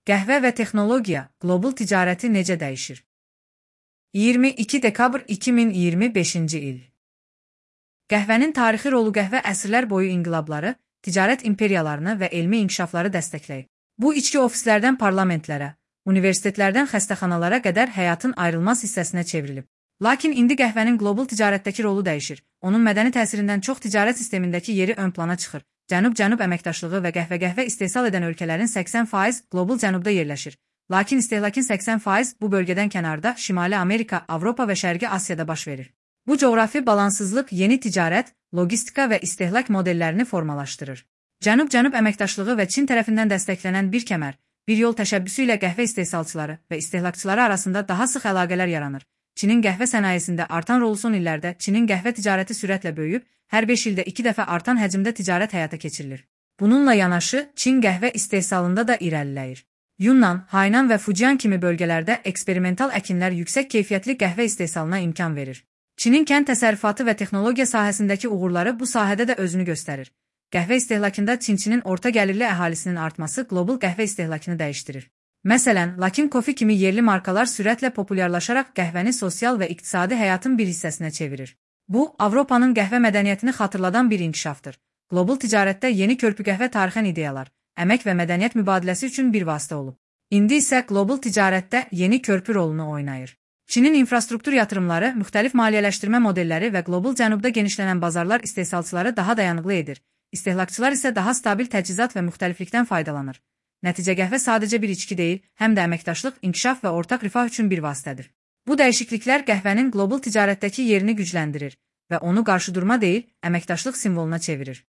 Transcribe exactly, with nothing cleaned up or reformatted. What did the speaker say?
Qəhvə və texnologiya qlobal ticarəti necə dəyişir? iyirmi iki dekabr iki min iyirmi beşinci il. Qəhvənin tarixi rolu qəhvə əsrlər boyu inqilabları, ticarət imperiyalarını və elmi inkişafları dəstəkləyib. Bu içki ofislərdən parlamentlərə, universitetlərdən xəstəxanalara qədər həyatın ayrılmaz hissəsinə çevrilib. Lakin indi qəhvənin qlobal ticarətdəki rolu dəyişir. Onun mədəni təsirindən çox ticarət sistemindəki yeri ön plana çıxır. Cənub-Cənub əməkdaşlığı və qəhvə-qəhvə istehsal edən ölkələrin səksən faizi qlobal cənubda yerləşir. Lakin istehlakın səksən faizi bu bölgədən kənarda Şimali Amerika, Avropa və Şərqi Asiyada baş verir. Bu coğrafi balansızlıq yeni ticarət, logistika və istehlak modellərini formalaşdırır. Cənub-Cənub əməkdaşlığı və Çin tərəfindən dəstəklənən bir kəmər, bir yol təşəbbüsü ilə qəhvə istehsalçıları və istehlakçıları arasında daha sıx əlaqələr yaranır. Çinin qəhvə sənayesində artan rolu son illərdə Çinin qəhvə ticarəti sürətlə böyüyüb, hər beş ildə iki dəfə artan həcmdə ticarət həyata keçirilir. Bununla yanaşı, Çin qəhvə istehsalında da irəliləyir. Yunnan, Haynan və Fujian kimi bölgələrdə eksperimental əkinlər yüksək keyfiyyətli qəhvə istehsalına imkan verir. Çinin kənd təsərrüfatı və texnologiya sahəsindəki uğurları bu sahədə də özünü göstərir. Qəhvə istehlakında Çinçinin orta gəlirli əhalisinin artması qlobal qəhvə istehlakını dəyişdirir. Məsələn, Luckin Coffee kimi yerli markalar sürətlə populyarlaşaraq qəhvəni sosial və iqtisadi həyatın bir hissəsinə çevirir. Bu, Avropanın qəhvə mədəniyyətini xatırladan bir inkişafdır. Qlobal ticarətdə yeni körpü qəhvə tarixən ideyalar, əmək və mədəniyyət mübadiləsi üçün bir vasitə olub. İndi isə qlobal ticarətdə yeni körpü rolunu oynayır. Çinin infrastruktur yatırımları, müxtəlif maliyyələşdirmə modelləri və qlobal cənubda genişlənən bazarlar istehsalçıları daha dayanıqlı edir. İstehlakçılar isə daha stabil təchizat və müxtəliflikdən faydalanır. Nəticə qəhvə sadəcə bir içki deyil, həm də əməkdaşlıq, inkişaf və ortaq rifah üçün bir vasitədir. Bu dəyişikliklər qəhvənin qlobal ticarətdəki yerini gücləndirir və onu qarşıdurma deyil, əməkdaşlıq simvoluna çevirir.